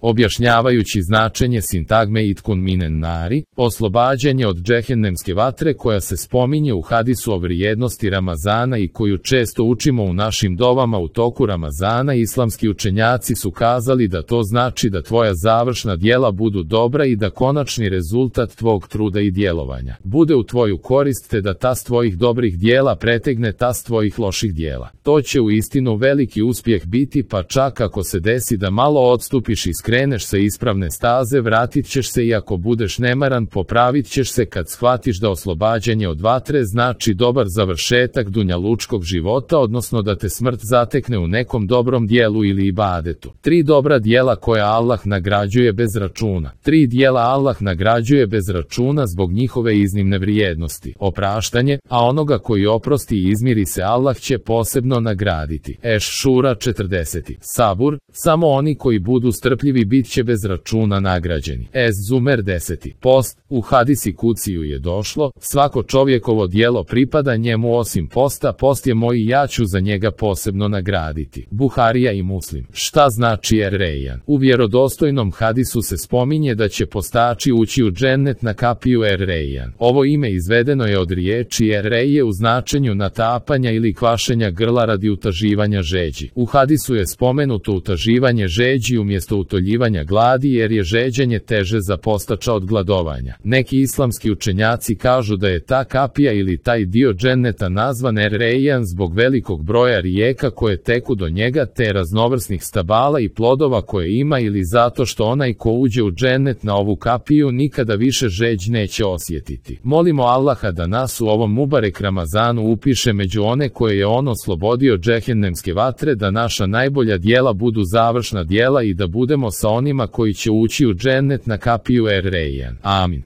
Objašnjavajući značenje sintagme itkun minen nari, oslobađanje od džehennemske vatre koja se spominje u hadisu o vrijednosti Ramazana i koju često učimo u našim dovama u toku Ramazana, islamski učenjaci su kazali da to znači da tvoja završna djela budu dobra i da konačni rezultat tvog truda i djelovanja bude u tvoju korist, te da tas tvojih dobrih djela pretegne tas tvojih loših djela. To će u istinu veliki uspjeh biti, pa čak ako se desi da malo odstupiš i skreneš sa ispravne staze, vratit ćeš se i ako budeš nemaran, popravit ćeš se kad shvatiš da oslobađanje od vatre znači dobar završetak dunjalučkog života, odnosno da te smrt zatekne u nekom dobrom dijelu ili ibadetu. 3 dobra dijela koja Allah nagrađuje bez računa. 3 dijela Allah nagrađuje bez računa zbog njihove iznimne vrijednosti. Opraštanje, a onoga koji oprosti i izmiri se Allah će posebno nagraditi. Eš-Šura 40. Sabur, samo oni koji budu strpljivi bit će bez računa nagrađeni. Ez-Zumer 10. Post, u hadisi kuciju je došlo, svako čovjekovo djelo pripada njemu osim posta, post je moj i ja ću za njega posebno nagraditi. Buharija i Muslim. Šta znači er-Rejjan? U vjerodostojnom hadisu se spominje da će postači ući u džennet na kapiju er-Rejjan. Ovo ime izvedeno je od riječi er-Reje u značenju natapanja ili kvašenja grla radi utaživanja žeđi. U hadisu je spomenuto utaživanje žeđi umjesto utoljivanja gladi jer je žeđenje teže za postača od gladovanja. Neki islamski učenjaci kažu da je ta kapija ili taj dio dženneta nazvan er-Rejjan zbog velikog broja rijeka koje teku do njega te raznovrsnih stabala i plodova koje ima ili zato što onaj ko uđe u džennet na ovu kapiju nikada više žeđ neće osjetiti. Molimo Allaha da nas u ovom mubarek Ramazanu upiše među one koje je on oslobodio džehennemske vatre, da naša najbolja djela budu završna djela i da budemo sa onima koji će ući u džennet na kapiju er-Rejjan. Amin.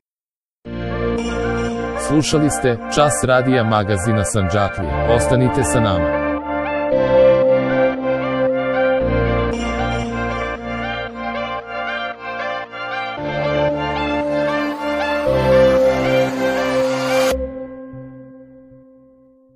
Slušali ste Čas radija magazina Sandžaklija. Ostanite sa nama.